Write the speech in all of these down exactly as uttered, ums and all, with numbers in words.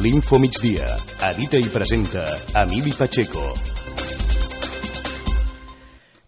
L'Info Migdia. Edita i presenta Emili Pacheco.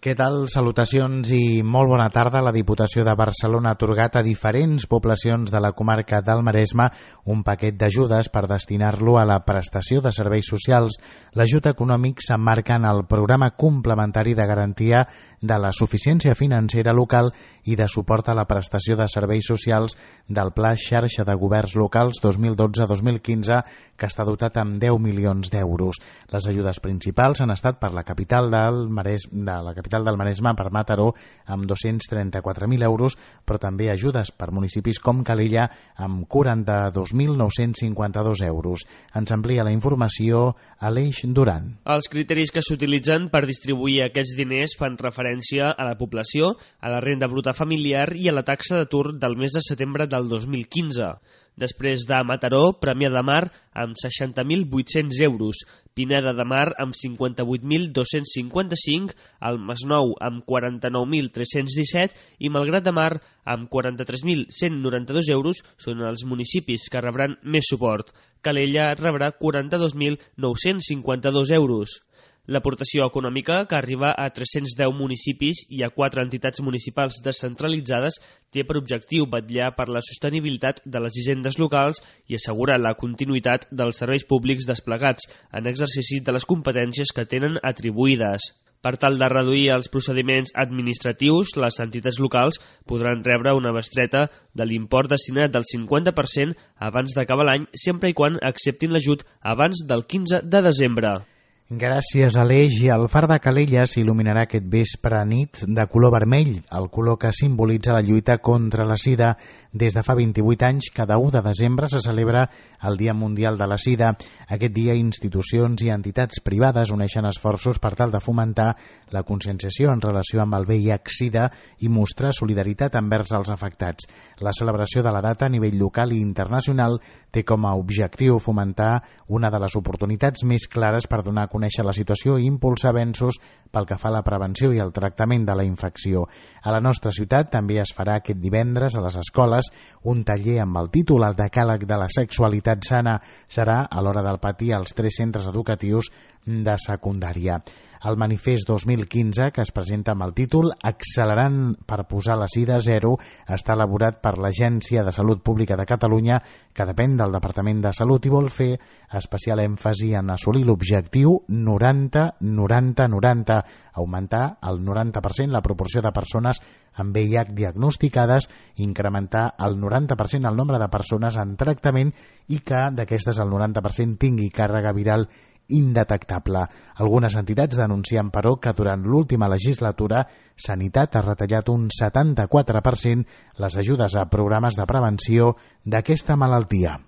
Què tal? Salutacions i molt bona tarda. La Diputació de Barcelona ha atorgat a diferents poblacions de la comarca del Maresme un paquet d'ajudes per destinar-lo a la prestació de serveis socials. L'ajut econòmic s'emmarca en el programa complementari de garantia de la suficiència financera local i de suport a la prestació de serveis socials del Pla Xarxa de Governs Locals dos mil dotze dos mil quinze, que està dotat amb deu milions d'euros. Les ajudes principals han estat per la capital del Maresme, de la capital del Maresme, per Mataró, amb dos-cents trenta-quatre mil euros, però també ajudes per municipis com Calella amb quaranta-dos mil nou-cents cinquanta-dos euros. Ens amplia la informació Aleix Duran. Els criteris que s'utilitzen per distribuir aquests diners fan referència a la població, a la renda bruta familiar i a la taxa d'atur del mes de setembre del dos mil quinze. Després de Mataró, Premià de Mar amb seixanta mil vuit-cents euros, Pineda de Mar amb cinquanta-vuit mil dos-cents cinquanta-cinc, el Masnou amb quaranta-nou mil tres-cents disset i Malgrat de Mar amb quaranta-tres mil cent noranta-dos euros són els municipis que rebran més suport. Calella rebrà quaranta-dos mil nou-cents cinquanta-dos euros. L'aportació econòmica, que arriba a tres-cents deu municipis i a quatre entitats municipals descentralitzades, té per objectiu vetllar per la sostenibilitat de les hisendes locals i assegurar la continuïtat dels serveis públics desplegats en exercici de les competències que tenen atribuïdes. Per tal de reduir els procediments administratius, les entitats locals podran rebre una bestreta de l'import destinat del cinquanta per cent abans d'acabar l'any, sempre i quan acceptin l'ajut abans del quinze de desembre. Gràcies, Aleix. I el far de Calella s'il·luminarà aquest vespre nit de color vermell, el color que simbolitza la lluita contra la sida. Des de fa vint-i-vuit anys, cada u de desembre se celebra el Dia Mundial de la Sida. Aquest dia, institucions i entitats privades uneixen esforços per tal de fomentar la conscienciació en relació amb el V I H SIDA i mostrar solidaritat envers els afectats. La celebració de la data a nivell local i internacional té com a objectiu fomentar una de les oportunitats més clares per donar a conèixer la situació i impulsar avenços pel que fa a la prevenció i el tractament de la infecció. A la nostra ciutat també es farà aquest divendres a les escoles un taller amb el títol El decàleg de la sexualitat sana. Serà a l'hora del patí als tres centres educatius de secundària. El manifest dos mil quinze, que es presenta amb el títol Accelerant per posar la sida a zero, està elaborat per l'Agència de Salut Pública de Catalunya, que depèn del Departament de Salut i vol fer especial èmfasi en assolir l'objectiu noranta noranta noranta, augmentar el noranta per cent la proporció de persones amb V I H diagnosticades, incrementar el noranta per cent el nombre de persones en tractament i que d'aquestes el noranta per cent tingui càrrega viral indetectable. Algunes entitats denuncien, però, que durant l'última legislatura Sanitat ha retallat un setanta-quatre per cent les ajudes a programes de prevenció d'aquesta malaltia.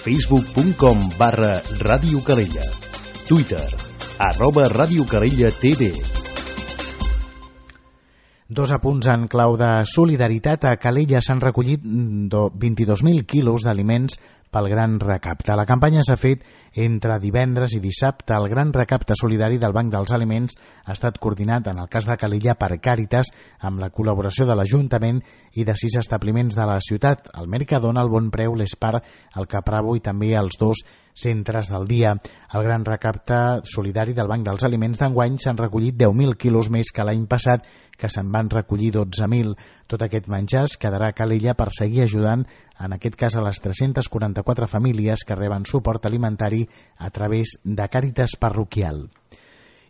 facebook punt com barra Ràdio Calella. Twitter, arroba Ràdio Calella T V. Dos apunts en clau de solidaritat. A Calella s'han recollit vint-i-dos mil quilos d'aliments pel Gran Recapte. La campanya s'ha fet entre divendres i dissabte. El Gran Recapte Solidari del Banc dels Aliments ha estat coordinat, en el cas de Calella, per Càritas, amb la col·laboració de l'Ajuntament i de sis establiments de la ciutat, el Mercadona, el Bon Preu, l'Espar, el Capravo i també els dos centres del dia. El Gran Recapte Solidari del Banc dels Aliments d'enguany s'han recollit deu mil quilos més que l'any passat, que se'n van recollir dotze mil. Tot aquest menjar es quedarà a Calella per seguir ajudant, en aquest cas a les tres-centes quaranta-quatre famílies que reben suport alimentari a través de Càritas Parroquial.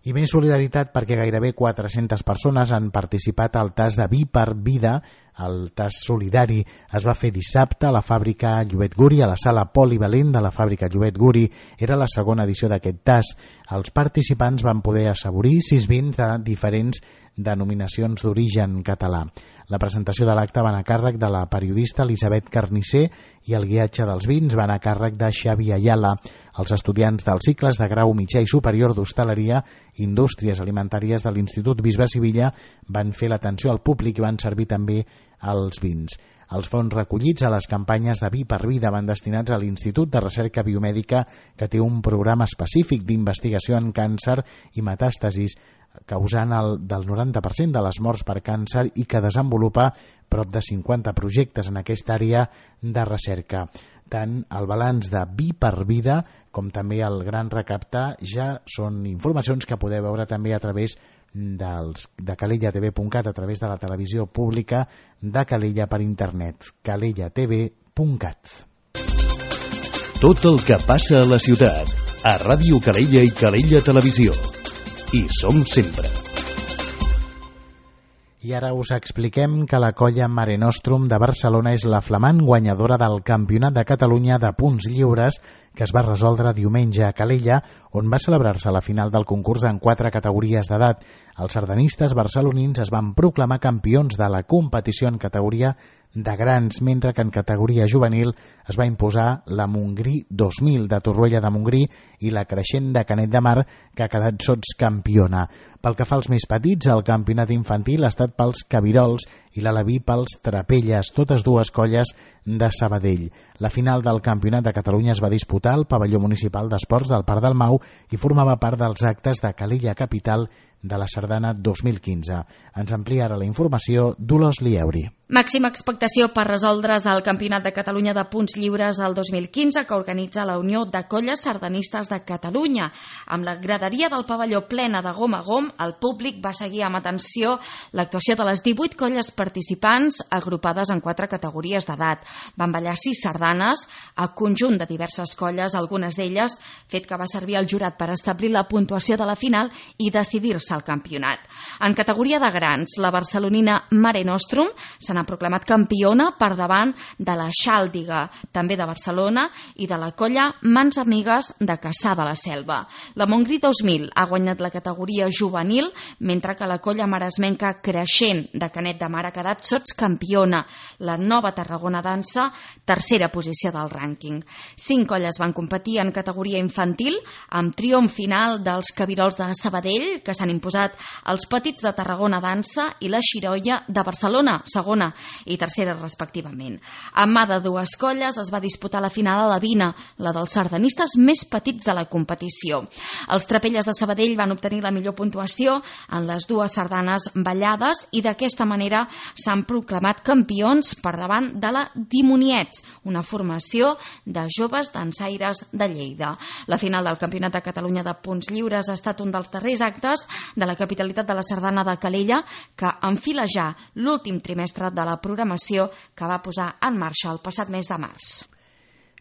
I més solidaritat perquè gairebé quatre-centes persones han participat al tas de Vi per Vida. El tas solidari es va fer dissabte a la fàbrica Llobet Guri, a la sala polivalent de la fàbrica Llobet Guri. Era la segona edició d'aquest tas. Els participants van poder assaborir sis vins de diferents denominacions d'origen català. La presentació de l'acte va anar a càrrec de la periodista Elisabet Carnisser i el guiatge dels vins va anar a càrrec de Xavi Ayala. Els estudiants dels cicles de grau mitjà i superior d'hostaleria i indústries alimentàries de l'Institut Bisbe Sivilla van fer l'atenció al públic i van servir també els vins. Els fons recollits a les campanyes de Vi per Vida van destinats a l'Institut de Recerca Biomèdica, que té un programa específic d'investigació en càncer i metàstasis, causant el del noranta per cent de les morts per càncer i que desenvolupa prop de cinquanta projectes en aquesta àrea de recerca. tant el balanç de Vi per Vida com també el gran recapte ja són informacions que podeu veure també a través dels, de calella t v punt cat, a través de la televisió pública de Calella per internet, calella t v punt cat. Tot el que passa a la ciutat, a Ràdio Calella i Calella Televisió. Hi som sempre. I ara us expliquem que la colla Mare Nostrum de Barcelona és la flamant guanyadora del Campionat de Catalunya de punts lliures que es va resoldre diumenge a Calella, on va celebrar-se la final del concurs en quatre categories d'edat. Els sardanistes barcelonins es van proclamar campions de la competició en categoria de grans, mentre que en categoria juvenil es va imposar la Montgrí dos mil de Torroella de Montgrí i la Creixent de Canet de Mar, que ha quedat sotscampiona. Pel que fa als més petits, el campionat infantil ha estat pels Cabirols i l'Aleví pels Trapelles, totes dues colles de Sabadell. La final del Campionat de Catalunya es va disputar al pavelló municipal d'esports del Parc del Mau i formava part dels actes de Calella Capital de la Sardana dos mil quinze. Ens amplia ara la informació Dolors Lieuri. Màxima expectació per resoldre's el Campionat de Catalunya de punts lliures del dos mil quinze que organitza la Unió de Colles Sardanistes de Catalunya. Amb la graderia del pavelló plena de gom a gom, el públic va seguir amb atenció l'actuació de les divuit colles participants agrupades en quatre categories d'edat. Van ballar sis sardanes a conjunt de diverses colles, algunes d'elles fet que va servir al jurat per establir la puntuació de la final i decidir-se al campionat. En categoria de grans, la barcelonina Mare Nostrum se n'ha proclamat campiona per davant de la Xàldiga, també de Barcelona, i de la colla Mans Amigues de Cassà de la Selva. La Montgrí dos mil ha guanyat la categoria juvenil, mentre que la colla maresmenca Creixent de Canet de Mar ha quedat sotscampiona. La Nova Tarragona Dansa, tercera posició del rànquing. Cinc colles van competir en categoria infantil, amb triomf final dels Cabirols de Sabadell, que s'han imposat els Petits de Tarragona Dansa i la Xiroia de Barcelona, segona i tercera respectivament. A mà de dues colles es va disputar la final a la Vina, la dels sardanistes més petits de la competició. Els Trapelles de Sabadell van obtenir la millor puntuació en les dues sardanes ballades i d'aquesta manera s'han proclamat campions per davant de la Dimoniets, una formació de joves dansaires de Lleida. La final del Campionat de Catalunya de punts lliures ha estat un dels darrers actes de la capitalitat de la sardana de Calella, que enfila ja l'últim trimestre de la programació que va posar en marxa el passat mes de març.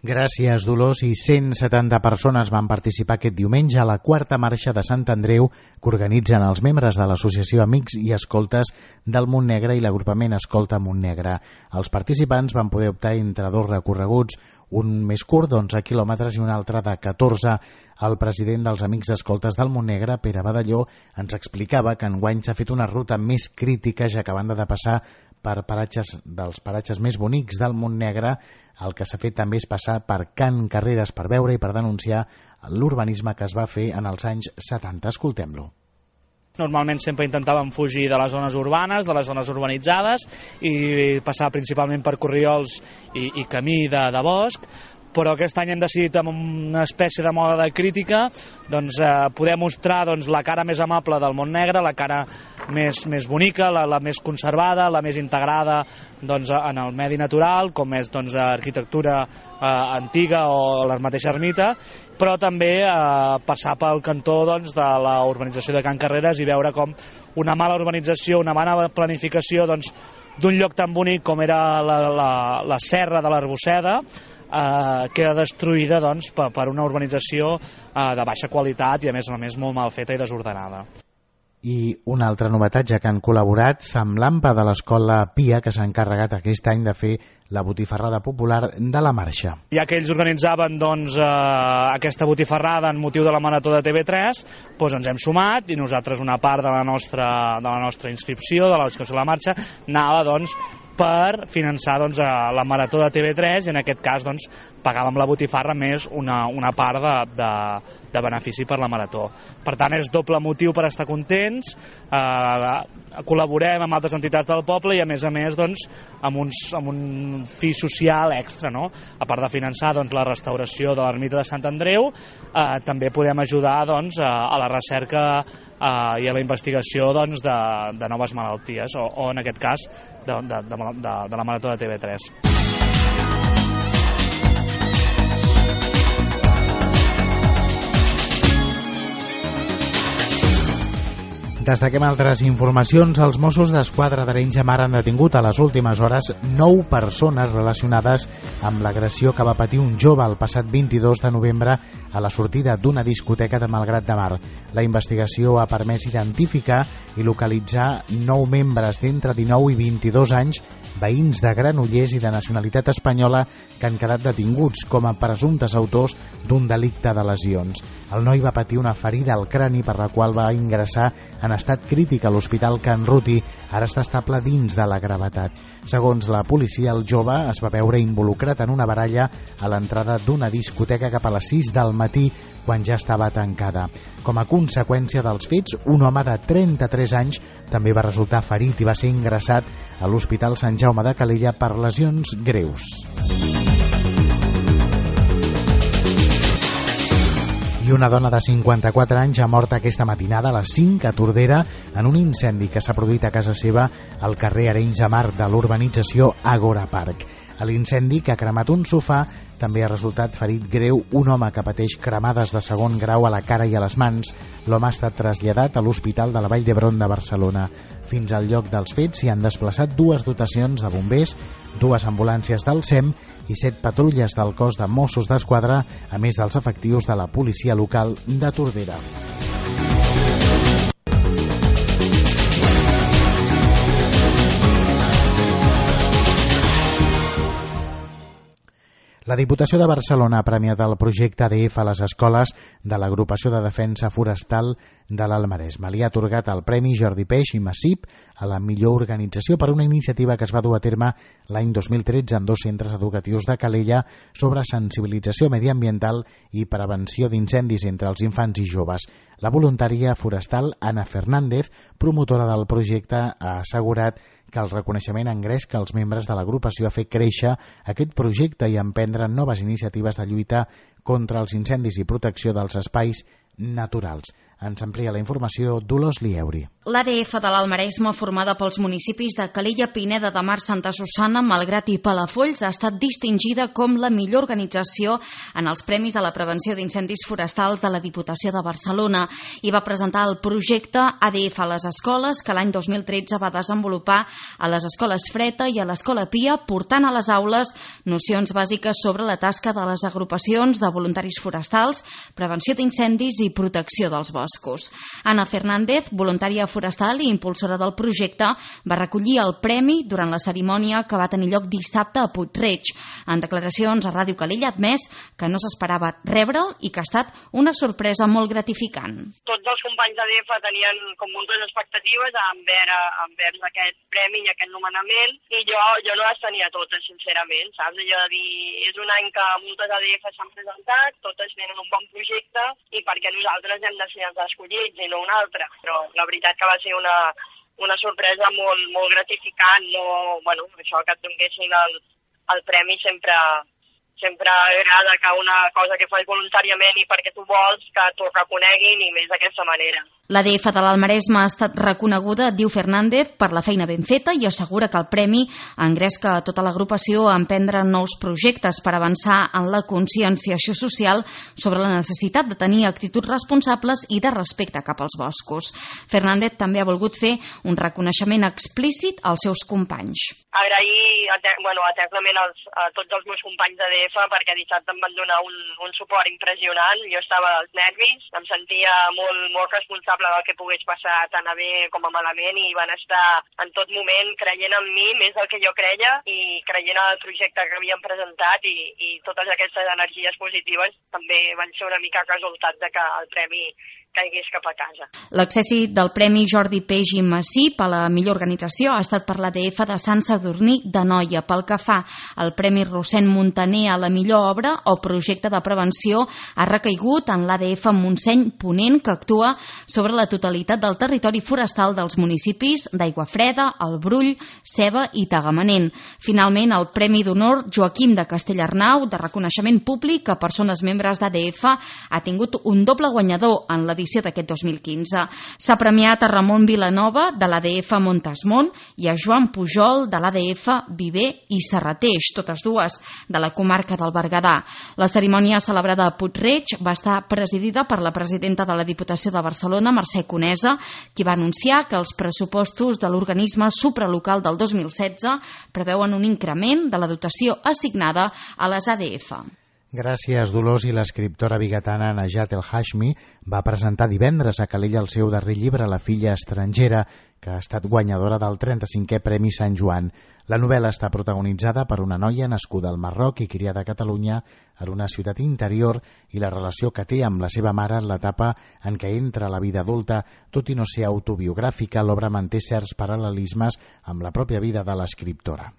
Gràcies, Dolors. I cent setanta persones van participar aquest diumenge a la quarta marxa de Sant Andreu que organitzen els membres de l'Associació Amics i Escoltes del Montnegre i l'agrupament Escolta Montnegre. Els participants van poder optar entre dos recorreguts, un més curt d'onze quilòmetres i un altre de catorze. El president dels Amics Escoltes del Montnegre, Pere Badalló, ens explicava que enguany s'ha fet una ruta més crítica, ja que a banda de passar per paratges dels paratges més bonics del Montnegre, el que s'ha fet també és passar per Can Carreres per veure i per denunciar l'urbanisme que es va fer en els anys setanta. Escoltem-lo. Normalment sempre intentàvem fugir de les zones urbanes, de les zones urbanitzades i passar principalment per corriols i, i camí de, de bosc, però aquest any hem decidit amb una espècie de moda de crítica doncs, eh, poder mostrar doncs, la cara més amable del Montnegre, la cara més, més bonica, la, la més conservada, la més integrada doncs, en el medi natural, com és doncs, arquitectura eh, antiga o la mateixa ermita, però també eh, passar pel cantó doncs, de la urbanització de Can Carreres i veure com una mala urbanització, una mala planificació doncs, d'un lloc tan bonic com era la, la, la Serra de l'Arbosseda, Eh, queda destruïda doncs, per, per una urbanització eh, de baixa qualitat i a més a més molt mal feta i desordenada. I una altra novetat, ja que han col·laborat Semblampa de l'Escola Pia, que s'ha encarregat aquest any de fer la botifarrada popular de la marxa. Ja que ells organitzaven doncs, eh, aquesta botifarrada en motiu de la Marató de T V tres, doncs ens hem sumat i nosaltres una part de la nostra, de la nostra inscripció, de la inscripció de la marxa, anava doncs, per finançar doncs, la Marató de T V tres i en aquest cas doncs, pagàvem la botifarra més una, una part de, de, de benefici per la Marató. Per tant, és doble motiu per estar contents, eh, col·laborem amb altres entitats del poble i a més a més doncs, amb, uns, amb un fi social extra, no? A part de finançar doncs, la restauració de l'ermita de Sant Andreu, eh, també podem ajudar doncs, a, a la recerca Uh, i a la investigació doncs, de, de noves malalties o, o en aquest cas de, de, de, de, de la Marató de T V tres. Destaquem altres informacions. Els Mossos d'Esquadra d'Arenys de Mar han detingut a les últimes hores nou persones relacionades amb l'agressió que va patir un jove el passat vint-i-dos de novembre a la sortida d'una discoteca de Malgrat de Mar. La investigació ha permès identificar i localitzar nou membres d'entre dinou i vint-i-dos anys, veïns de Granollers i de nacionalitat espanyola, que han quedat detinguts com a presumptes autors d'un delicte de lesions. El noi va patir una ferida al crani per la qual va ingressar en estat crític a l'Hospital Can Ruti. Ara està estable dins de la gravetat. Segons la policia, el jove es va veure involucrat en una baralla a l'entrada d'una discoteca cap a les sis del matí, quan ja estava tancada. Com a conseqüència dels fets, un home de trenta-tres anys també va resultar ferit i va ser ingressat a l'Hospital Sant Jaume de Calella per lesions greus. I una dona de cinquanta-quatre anys ha mort aquesta matinada a les cinc a Tordera en un incendi que s'ha produït a casa seva al carrer Arenys de Mar de l'urbanització Agora Park. A l'incendi, que ha cremat un sofà, també ha resultat ferit greu un home que pateix cremades de segon grau a la cara i a les mans. L'home ha estat traslladat a l'Hospital de la Vall d'Hebron de Barcelona. Fins al lloc dels fets s'hi han desplaçat dues dotacions de bombers, dues ambulàncies del S E M i set patrulles del cos de Mossos d'Esquadra, a més dels efectius de la policia local de Tordera. La Diputació de Barcelona ha premiat el projecte A D F a les escoles de l'Agrupació de Defensa Forestal de l'Alt Maresme. Li ha atorgat el Premi Jordi Peix i Massip a la millor organització per una iniciativa que es va dur a terme l'any dos mil tretze en dos centres educatius de Calella sobre sensibilització mediambiental i prevenció d'incendis entre els infants i joves. La voluntària forestal Ana Fernández, promotora del projecte, ha assegurat que el reconeixement engresca els membres de l'agrupació a fer créixer aquest projecte i emprendre noves iniciatives de lluita contra els incendis i protecció dels espais naturals. Ens amplia la informació Dolors Lieuri. L'A D F de l'Alt Maresme, formada pels municipis de Calella, Pineda de Mar, Santa Susanna, Malgrat i Palafolls, ha estat distingida com la millor organització en els Premis a la Prevenció d'Incendis Forestals de la Diputació de Barcelona i va presentar el projecte A D F a les escoles, que l'any dos mil tretze va desenvolupar a les escoles Freta i a l'Escola Pia, portant a les aules nocions bàsiques sobre la tasca de les agrupacions de voluntaris forestals, prevenció d'incendis i protecció dels boscos. Ana Fernández, voluntària forestal i impulsora del projecte, va recollir el premi durant la cerimònia que va tenir lloc dissabte a Puig-reig. En declaracions a Ràdio Calella ha admès que no s'esperava rebre'l i que ha estat una sorpresa molt gratificant. Tots els companys d'A D F tenien com moltes expectatives envers, envers aquest premi i aquest nomenament, i jo, jo no les tenia totes, sincerament, saps? Allò de dir, és un any que moltes A D F s'han presentat, totes tenen un bon projecte, i perquè nosaltres hem de ser els escollits i no un altre, però la veritat que va ser una, una sorpresa molt, molt gratificant. No, bueno, això que et donessin el, el premi sempre, sempre agrada, que una cosa que fas voluntàriament i perquè tu vols que t'ho reconeguin, i més d'aquesta manera. L'A D F de l'Alt Maresme ha estat reconeguda, diu Fernández, per la feina ben feta i assegura que el premi engresca a tota l'agrupació a emprendre nous projectes per avançar en la conscienciació social sobre la necessitat de tenir actituds responsables i de respecte cap als boscos. Fernández també ha volgut fer un reconeixement explícit als seus companys. Agrair bueno, eternament als, a tots els meus companys d'A D F, perquè dissabte em van donar un, un suport impressionant. Jo estava als nervis, em sentia molt, molt responsable del que pogués passar tant a bé com a malament, i van estar en tot moment creient en mi més del que jo creia i creient en el projecte que havíem presentat, i, i totes aquestes energies positives també van ser una mica resultat de que el premi caigués cap a casa. L'accessi del Premi Jordi Peix i Massip a la millor organització ha estat per l'A D F de Sant Sadurní d'Anoia. Pel que fa al Premi Rossend Montaner a la millor obra o projecte de prevenció, ha recaigut en l'A D F Montseny Ponent, que actua sobre la totalitat del territori forestal dels municipis d'Aiguafreda, el Brull, Ceba i Tagamanent. Finalment, el Premi d'Honor Joaquim de Castellarnau, de reconeixement públic a persones membres d'A D F, ha tingut un doble guanyador en l'edició edició d'aquest dos mil quinze. S'ha premiat a Ramon Vilanova, de l'A D F Montesmont, i a Joan Pujol, de l'A D F Viver i Serrateix, totes dues de la comarca del Berguedà. La cerimònia celebrada a Puig-reig va estar presidida per la presidenta de la Diputació de Barcelona, Mercè Conesa, qui va anunciar que els pressupostos de l'organisme supralocal del dos mil setze preveuen un increment de la dotació assignada a les A D F. Gràcies, Dolors. I l'escriptora bigatana Najat El Hashmi va presentar divendres a Calella el seu darrer llibre, La filla estrangera, que ha estat guanyadora del trenta-cinquè Premi Sant Joan. La novel·la està protagonitzada per una noia nascuda al Marroc i criada a Catalunya en una ciutat interior i la relació que té amb la seva mare en l'etapa en què entra a la vida adulta. Tot i no ser autobiogràfica, l'obra manté certs paral·lelismes amb la pròpia vida de l'escriptora.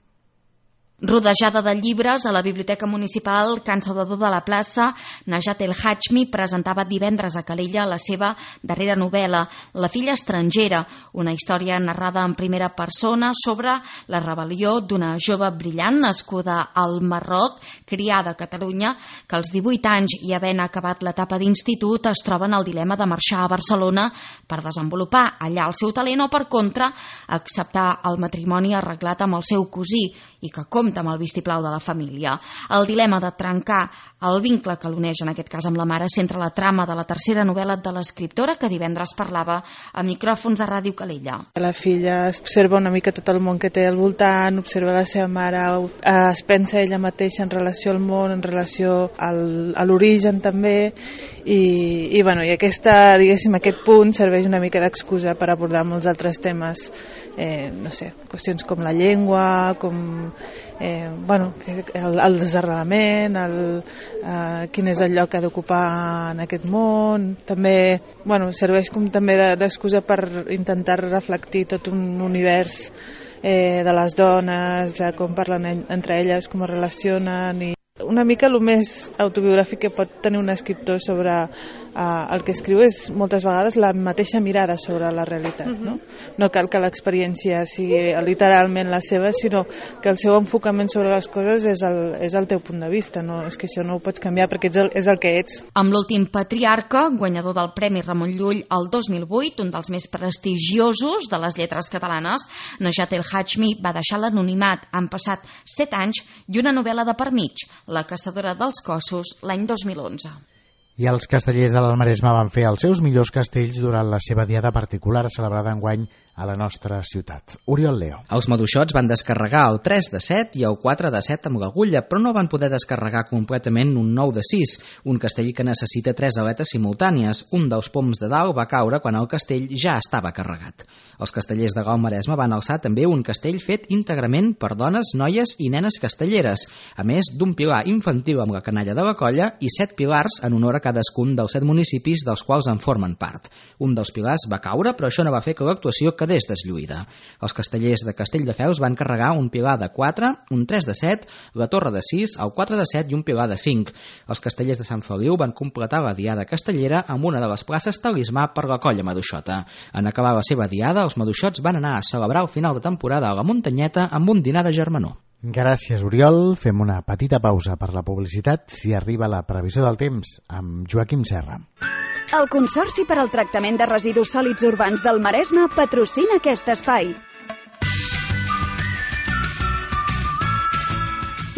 Rodejada de llibres, a la Biblioteca Municipal Can Salvador de la Plaça, Najat El Hashmi presentava divendres a Calella la seva darrera novel·la, La filla estrangera, una història narrada en primera persona sobre la rebel·lió d'una jove brillant nascuda al Marroc, criada a Catalunya, que als divuit anys i havent acabat l'etapa d'institut es troba en el dilema de marxar a Barcelona per desenvolupar allà el seu talent o, per contra, acceptar el matrimoni arreglat amb el seu cosí i que compta amb el vistiplau de la família. El dilema de trencar el vincle que l'uneix, en aquest cas amb la mare, centra la trama de la tercera novel·la de l'escriptora, que divendres parlava a micròfons de Ràdio Calella. La filla observa una mica tot el món que té al voltant, observa la seva mare, es pensa ella mateixa en relació al món, en relació al, a l'origen també, i, i, bueno, i aquesta, diguéssim, aquest punt serveix una mica d'excusa per abordar molts altres temes, eh, no sé, qüestions com la llengua, com Eh, bueno, el, el desarrelament, el, eh, quin és el lloc que ha d'ocupar en aquest món. També, bueno, serveix com també d'excusa per intentar reflectir tot un univers eh, de les dones, de com parlen entre elles, com es relacionen, i una mica el més autobiogràfic que pot tenir un escriptor sobre uh, el que escriu és moltes vegades la mateixa mirada sobre la realitat. Uh-huh. No? No cal que l'experiència sigui literalment la seva, sinó que el seu enfocament sobre les coses és el, és el teu punt de vista. No? És que això no ho pots canviar perquè ets el, és el que ets. Amb l'últim patriarca, guanyador del Premi Ramon Llull el dos mil vuit, un dels més prestigiosos de les lletres catalanes, Najat El Hashmi va deixar l'anonimat. Han passat set anys i una novel·la de per mig, La caçadora dels cossos, l'any dos mil onze. I els castellers de l'Almaresme van fer els seus millors castells durant la seva diada particular celebrada enguany a la nostra ciutat. Oriol Leo. Els maduixots van descarregar el tres de set i el quatre de set amb l'agulla, però no van poder descarregar completament un nou de sis, un castell que necessita tres aletes simultànies. Un dels poms de dalt va caure quan el castell ja estava carregat. Els castellers de l'Almaresme van alçar també un castell fet íntegrament per dones, noies i nenes castelleres, a més d'un pilar infantil amb la canalla de la colla i set pilars en honor a cadascun dels set municipis dels quals en formen part. Un dels pilars va caure, però això no va fer que l'actuació quedés deslluïda. Els castellers de Castelldefels van carregar un pilar de quatre, un tres de set, la torre de sis, el quatre de set i un pilar de cinc. Els castellers de Sant Feliu van completar la diada castellera amb una de les places talismà per la colla maduixota. En acabar la seva diada, els maduixots van anar a celebrar el final de temporada a la Muntanyeta amb un dinar de germanor. Gràcies, Oriol. Fem una petita pausa per la publicitat i arriba la previsió del temps amb Joaquim Serra. El Consorci per al Tractament de Residus Sòlids Urbans del Maresme patrocina aquest espai.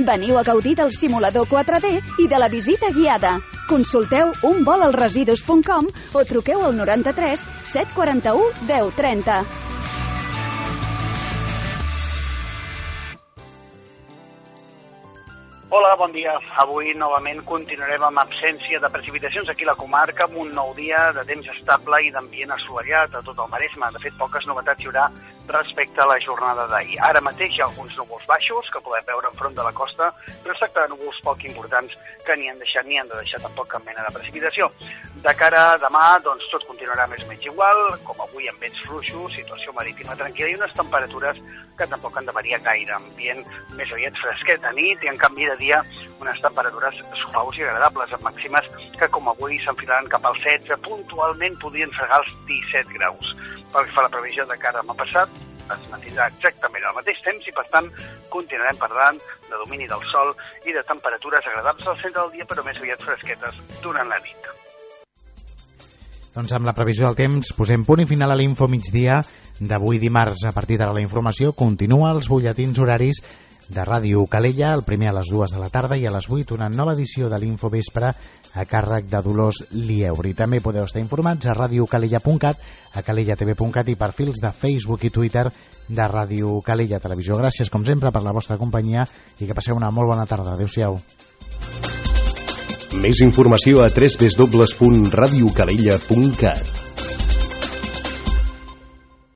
Veniu a gaudir del simulador quatre D i de la visita guiada. Consulteu un vol als residus punt com o truqueu al noranta-tres set quaranta-u deu trenta. Hola, bon dia. Avui novament continuarem amb absència de precipitacions aquí a la comarca, amb un nou dia de temps estable i d'ambient assolellat a tot el Maresme. De fet, poques novetats hi haurà respecte a la jornada d'ahir. Ara mateix hi ha alguns núvols baixos que podem veure enfront de la costa, però es tracta de núvols poc importants que ni han deixat ni han de deixar tampoc cap mena de precipitació. De cara a demà, doncs tot continuarà més o menys igual, com avui amb vents fluixos, situació marítima tranquil·la i unes temperatures que tampoc han de variar gaire. Ambient més aviat fresquet a nit i en canvi de dia unes temperatures suaus i agradables, amb màximes que com avui s'enfilaran cap als setze, puntualment podrien fregar els disset graus. Pel que fa a la previsió de cara a demà passat, es mantindrà exactament al mateix temps i, per tant, continuarem parlant de domini del sol i de temperatures agradables al centre del dia, però més aviat fresquetes durant la nit. Doncs amb la previsió del temps posem punt i final a l'Info Migdia d'avui dimarts. A partir d'ara la informació continua als butlletins horaris de Ràdio Calella, el primer a les dues de la tarda i a les vuit una nova edició de l'Info Vespre a càrrec de Dolors Lieuri. També podeu estar informats a radiocalella punt cat, a calella t v punt cat i perfils de Facebook i Twitter de Ràdio Calella Televisió. Gràcies, com sempre, per la vostra companyia i que passeu una molt bona tarda. Adéu-siau. Més informació a w w w punt radiocalella punt cat.